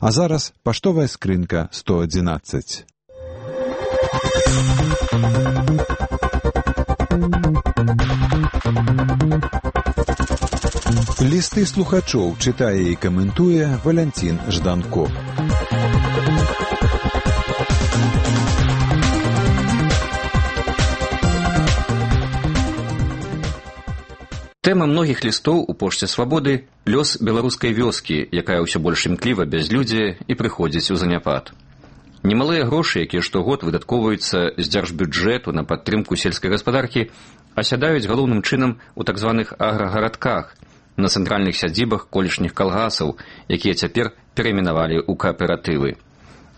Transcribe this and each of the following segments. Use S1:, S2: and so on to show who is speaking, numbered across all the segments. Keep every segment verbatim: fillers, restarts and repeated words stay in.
S1: А зараз паштовая скрынка сто адзінаццаць. Лісты слухачоў чытае і каментуе Валянцін Жданко.
S2: Тэма многіх лістоў у пошце свабоды – лёс беларускай вёскі, якая ўсё больш імкліва бязлюдзе і прыходзіць у заняпад. Немалыя грошы, якія штогод выдаткоўваюцца з дзяржбюджэту на падтрымку сельскай гаспадаркі, асядаюць галоўным чынам у так званых аграгарадках, на цэнтральных сядзібах колішніх калгасаў, якія цяпер перайменавалі ў кааператывы.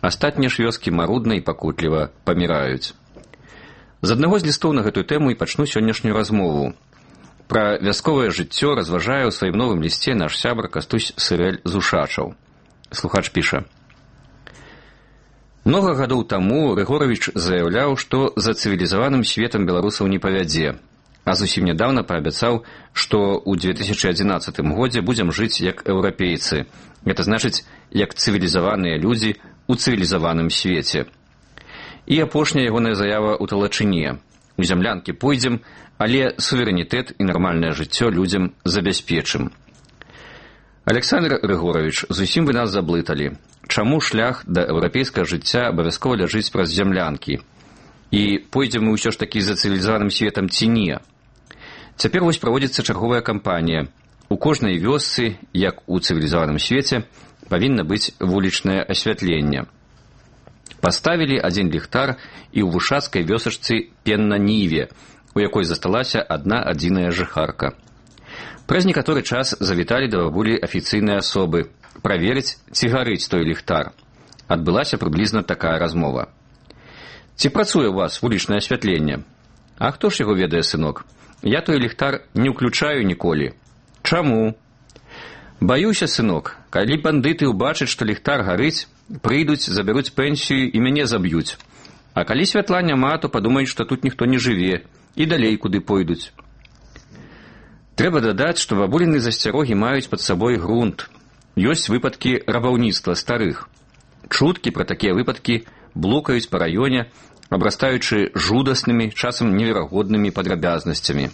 S2: Астатнія ж вёскі марудна і пакутліва паміраюць. З аднаго з лістоў на гэтую тэму і пачну сённяшнюю размову. Пра вясковае жыццё разважае ў сваім новым лісце наш сябар Кастусь Сырэль з Ушачаў. Слухач піша. Многа гадоў таму Рыгоравіч заяўляў, што за цывілізаваным светам беларусаў не павядзе, а зусім нядаўна паабяцаў, што ў две тысячы адзінаццатым годзе будзем жыць як еўрапейцы. Гэта значыць, як цывілізаваныя людзі ў цывілізаваным свеце. І апошняя ягоная заява ў Талачыне. У зямлянкі пойдзем, але суверэнітэт і нармальнае жыццё людзям забяспечым. Александр Рыгоравіч, зусім вы нас заблыталі. Чаму шлях да еўрапейскага жыцця абавязкова ляжыць праз зямлянкі? І пойдзем мы ўсё ж такі за цывілізаваным светам ці не? Цяпер вось праводзіцца чарговая кампанія. У кожнай вёсцы, як у цывілізаваным свеце, павінна быць вулічнае асвятленне. Паставілі адзін ліхтар і ў вушацкай вёсачцы Пенна-Ніве, у якой засталася адна адзіная жыхарка. Праз некаторы час завіталі да бабулі афіцыйныя асобы праверыць, ці гарыць той ліхтар. Адбылася прыблізна такая размова. Ці працуе ў вас вулічнае асвятленне? А хто ж яго ведае, сынок? Я той ліхтар не ўключаю ніколі. Чаму? Баюся, сынок, калі бандыты ўбачаць, што ліхтар гарыць, прыйдуць, забяруць пенсію і мяне заб'юць. А калі святла няма, то падумаюць, што тут ніхто не жыве, і далей куды пойдуць. Трэба дадаць, што бабуліны засцярогі маюць пад сабой грунт. Ёсць выпадкі рабаўніцтва старых. Чуткі пра такія выпадкі блукаюць па раёне, абрастаючы жудаснымі, часам неверагоднымі падрабязнасцямі.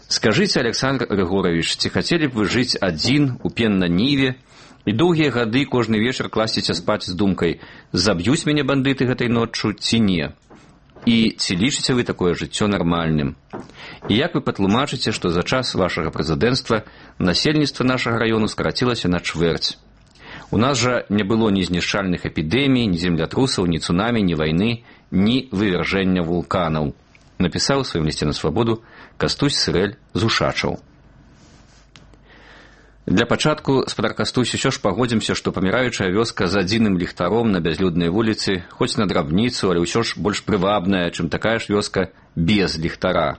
S2: Скажыце, Александр Рыгоравіч, ці хацелі б вы жыць адзін у Пенна-Ніве і доўгія гады кожны вечар класціся спаць з думкай, заб'юць мяне бандыты гэтай ноччу ці не? І ці лічыце вы такое жыццё нармальным? І як вы патлумачыце, што за час вашага прэзідэнцтва насельніцтва нашага раёну скарацілася на чвэрць? У нас жа не было ні знішчальных эпідэмій, ні землятрусаў, ні цунамі, ні вайны, ні вывяржэння вулканаў. Напісаў у сваім лісце на свабоду Кастусь Сырэль з Ушачаў. Для пачатку, спадар Кастусь, усё ж пагодзімся, што паміраючая вёска з адзіным ліхтаром на бязлюднай вуліцы, хоць на драбніцу, але ўсё ж больш прывабная, чым такая ж вёска без ліхтара.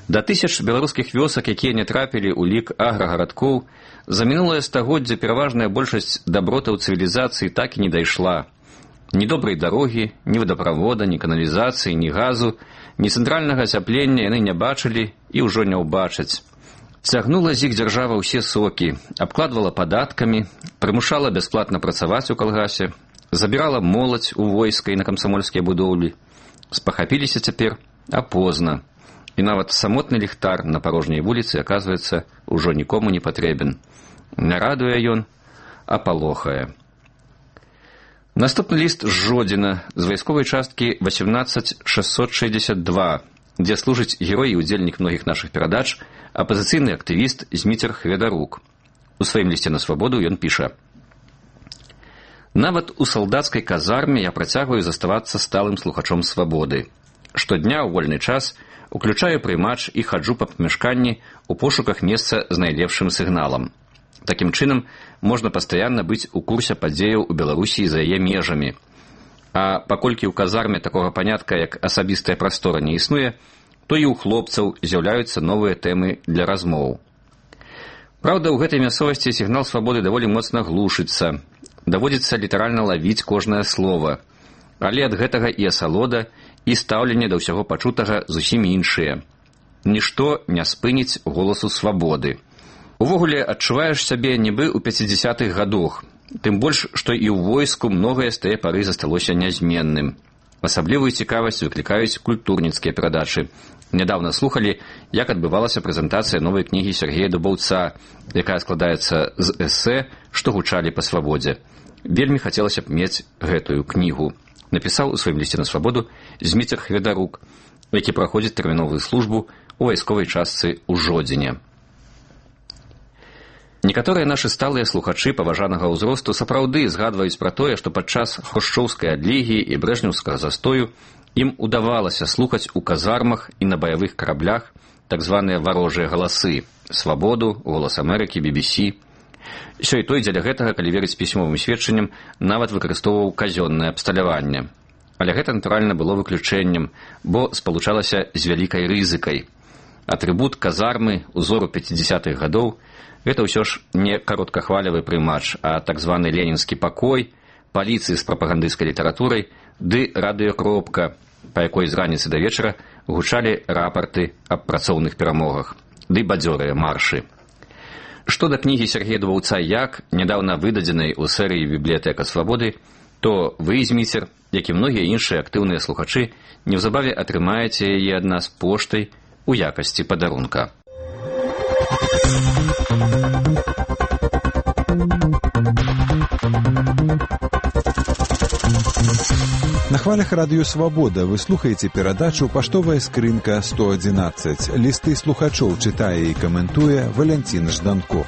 S2: Да тысяч беларускіх вёсак, якія не трапілі ў лік аграгарадкоў, за мінулае стагоддзе пераважная большасць дабротаў цывілізацыі так і не дайшла. Ні добрай дарогі, ні вадаправода, ні каналізацыі, ні газу, ні цэнтральнага ацяплення яны не бачылі і ўжо не ўбачаць. Цягнула з іх дзяржава ўсе сокі, абкладвала падаткамі, прымушала бясплатна працаваць у калгасе, забірала моладзь у войска і на камсамольскія будоўлі. Спахапіліся цяпер, а позна. І нават самотны ліхтар на парожняй вуліцы, аказваецца, ужо нікому не патрэбен. Не радуе ён, а палохае. Наступны ліст з Жодзіна, з вайсковай часткі васемнаццаць шэсцьсот шэсцьдзесят два, дзе служыць герой і удзельнік многіх нашых перадач, апазіцыйны актывіст Зміцер Хведарук. У сваім лісце на свабоду ён піша. Нават у салдацкай казарме я працягваю заставацца сталым слухачом свабоды. Штодня ў вольны час уключаю прыймач і хаджу па памяшканні ў пошуках месца з найлепшым сігналам. Такім чынам, можна пастаянна быць у курсе падзеяў у Беларусі за яе межамі. А паколькі ў казарме такога панятка, як асабістая прастора, не існуе, то і ў хлопцаў з'яўляюцца новыя тэмы для размоў. Праўда, ў гэтай мясцовасці сігнал свабоды даволі моцна глушыцца. Даводзіцца літаральна лавіць кожнае слова. Але ад гэтага і асалода, і стаўленне да ўсяго пачутага зусім іншыя. Нішто не спыніць голасу свабоды. Увогуле, адчуваеш сябе нібы ў пяцідзясятых гадах. Тым больш, што і ў войску многае з тае пары засталося нязменным. Асаблівую цікавасць выклікаюць культурніцкія перадачы. Нядаўна слухалі, як адбывалася прэзентацыя новай кнігі Сергея Дубаўца, якая складаецца з эсэ, што гучалі па свабодзе. Вельмі хацелася б мець гэтую кнігу. Напісаў у сваім лісце на свабоду Зміцер Хведарук, які праходзіць тэрміновую службу у вайсковай частцы ў Жодзіне. Некаторыя нашы сталыя слухачы паважанага ўзросту сапраўды згадваюць пра тое, што падчас хрушчоўскай адлігі і брэжнеўскага застою ім удавалася слухаць у казармах і на баявых караблях так званыя варожыя галасы – «Свабоду», «Голас Амерыкі», би би сі. Сёй той дзеля гэтага, калі верыць пісьмовым сведчанням, нават выкарыстоўваў казённае абсталяванне. Але гэта, натуральна, было выключэннем, бо спалучалася з вялікай рызыкай. Атрыбут казармы узору пяцідзясятых гадоў – гэта ўсё ж не кароткахвалявы прымач, а так званы ленінскі пакой, паліцыі з прапагандысцкай літаратурай ды радыёкропка, па якой з раніцы да вечара гучалі рапарты аб працоўных перамогах, ды бадзёрыя маршы. Што да кнігі Сергея Дубаўца «Як», нядаўна выдадзенай у серыі «Бібліятэка свабоды», то вы, Зміцер, як і многія іншыя актыўныя слухачы, неўзабаве атрымаеце яе ад нас поштай у якасці падарунка.
S1: На хвалях радыё «Свабода» вы слухаеце перадачу «Паштовая скрынка сто адзінаццаць». Лісты слухачоў чытае і каментуе Валянцін Жданко.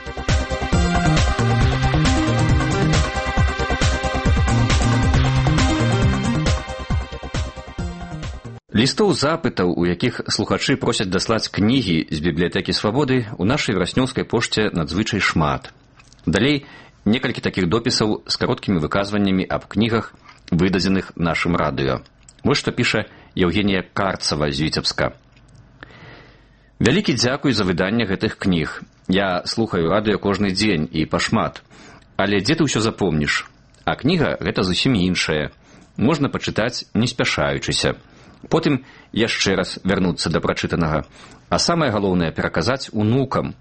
S2: Лістоў запытаў, у якіх слухачы просяць даслаць кнігі з бібліятэкі свабоды, у нашай вяснёўскай пошце надзвычай шмат. Далей некалькі такіх допісаў з кароткімі выказваннямі аб кнігах, выдадзеных нашым радыё. Вось што піша Евгенія Карцава з Віцебска. Вялікі дзякуй за выданне гэтых кніг. Я слухаю радыё кожны дзень і пашмат. Але дзе ты ўсё запомніш? А кніга гэта зусім іншая. Можна пачытаць, не спяшаючыся. Потым яшчэ раз вярнуцца да прачытанага. А самае галоўнае пераказаць унукам.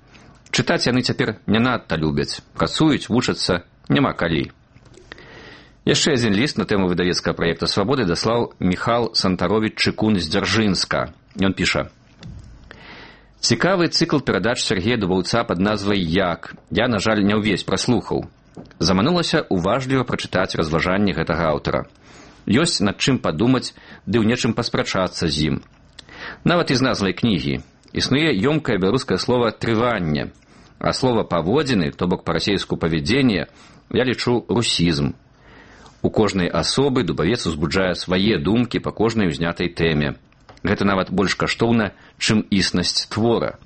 S2: Чытаць яны цяпер не надта любяць. Працуюць, вучацца, няма калі. Яшчэ адзін ліст на тэму выдавецкага праекта «Свабоды» даслаў Міхал Сантаровіч Чыкун з Дзяржынска. Ён піша: «Цікавы цыкл перадач Сергея Дубаўца пад назвай «Як». Я, на жаль, не ўвесь праслухаў. Заманулася уважліва прачытаць разважанні гэтага аўтара. Ёсць над чым падумаць, ды ў нечым паспрачацца з ім. Нават і з назвай кнігі. Існуе ёмкае беларускае слова «трыванне», а слова «паводзіны», то бок па-расейску «павядзенне», я лічу русізм. У кожнай асобы Дубавец узбуджае свае думкі па кожнай узнятай тэме. Гэта нават больш каштоўна, чым існасць твора.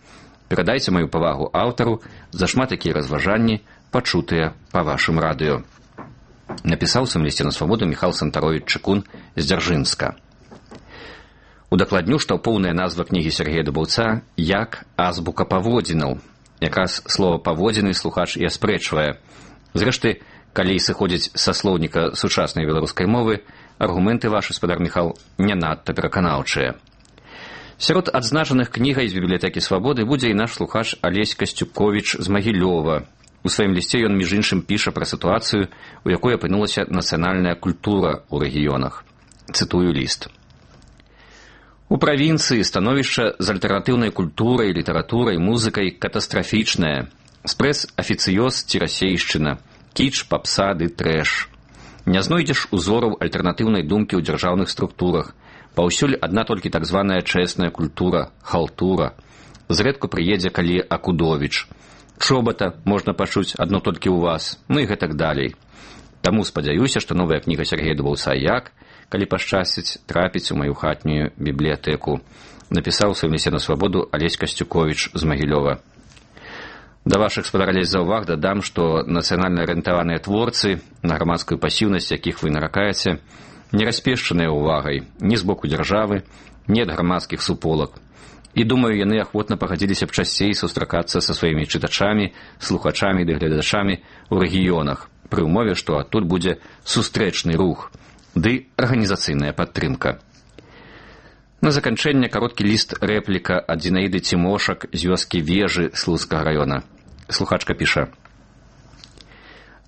S2: Перадайце маю павагу аўтару за шмат якія разважанні, пачутыя па вашым радыё. Напісаў сам лісце на свабоду Міхал Сантаровіч Чыкун з Дзяржынска. Удакладню, што поўная назва кнігі Сергея Дубаўца «Як азбука паводзінаў». Якраз слова «паводзіны» слухач і аспрэчвае. Зрэшты, калі сыходзіць са слоўніка сучаснай беларускай мовы, аргументы вашы, спадар Міхал, не надта пераканаўчыя. Сярод адзначаных кнігай з бібліятэкі свабоды будзе і наш слухач Алесь Касцюковіч з Магілёва. У сваім лісце ён, між іншым, піша пра сітуацыю, у якой апынулася нацыянальная культура ў рэгіёнах. Цытую ліст. У правінцыі становішча з альтэрнатыўнай культурай, літаратурай, музыкай катастрафічнае. Спрэс-афіцыёз ці расейшчына, кіч, папса ды трэш. Не знойдзеш узораў альтэрнатыўнай думкі ў дзяржаўных структурах. Паўсюль адна толькі так званая чэсная культура, халтура. Зрэдку прыедзе калі Акудовіч. Чобота можна пачуць адно толькі ў вас, ну і гэтак далей. Таму спадзяюся, што новая кніга Сергея Дубаўца «Як», калі пашчасціць, трапіць у маю хатнюю бібліятэку. Напісаў у сваім лісце на свабоду Алесь Касцюковіч з Магілёва. Да вашых, спадар Алесь, заўваг дадам, што нацыянальна арыентаваныя творцы, на грамадскую пасіўнасць якіх вы наракаеце, не распешчаныя ўвагай ні з боку дзяржавы, ні ад грамадскіх суполак. І, думаю, яны ахвотна пагадзіліся б часцей сустракацца са сваімі чытачамі, слухачамі ды гледачамі ў рэгіёнах, пры ўмове, што адтуль будзе сустрэчны рух, ды арганізацыйная падтрымка. На заканчэнне кароткі ліст рэпліка ад Зінаіды Цімошак з вёскі Вежы Слуцкага раёна. Слухачка піша: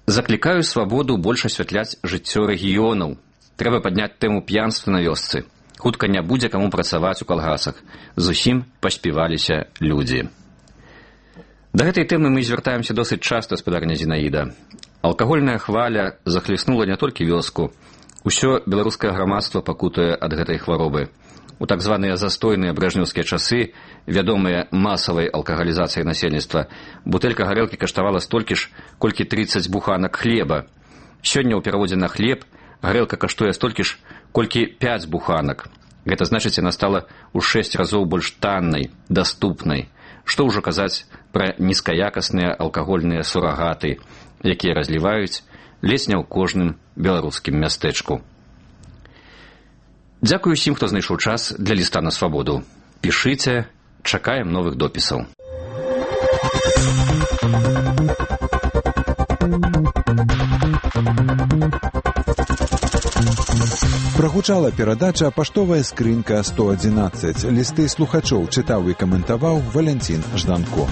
S2: Заклікаю свабоду больш асвятляць жыццё рэгіёнаў. Трэба падняць тэму п'янства на вёсцы. Хутка не будзе каму працаваць у калгасах. Зусім паспіваліся людзі. Да гэтай тэмы мы звяртаемся досыць часта, спадарня Зінаіда. Алкагольная хваля захліснула не толькі вёску. Усё беларускае грамадства пакутае ад гэтай хваробы. У так званыя застойныя брэжнеўскія часы, вядомыя масавай алкагалізацыяй насельніцтва, бутэлька гарэлкі каштавала столькі ж, колькі трыццаць буханак хлеба. Сёння ў пераводзе на хлеб гарэлка каштуе столькі ж, колькі пяць буханак. Гэта значыць, яна стала ў шэсць разоў больш таннай, даступнай. Што ўжо казаць пра нізкаякасныя алкагольныя сурагаты, якія разліваюць ледзь не ў кожным беларускім мястэчку. Дзякую усім, хто знайшоў час для ліста на свабоду. Пішыце, чакаем новых допісаў.
S1: Прагучала перадача «Паштовая скрынка сто адзінаццаць». Лісты слухачоў чытаў і каментаваў Валянцін Жданко.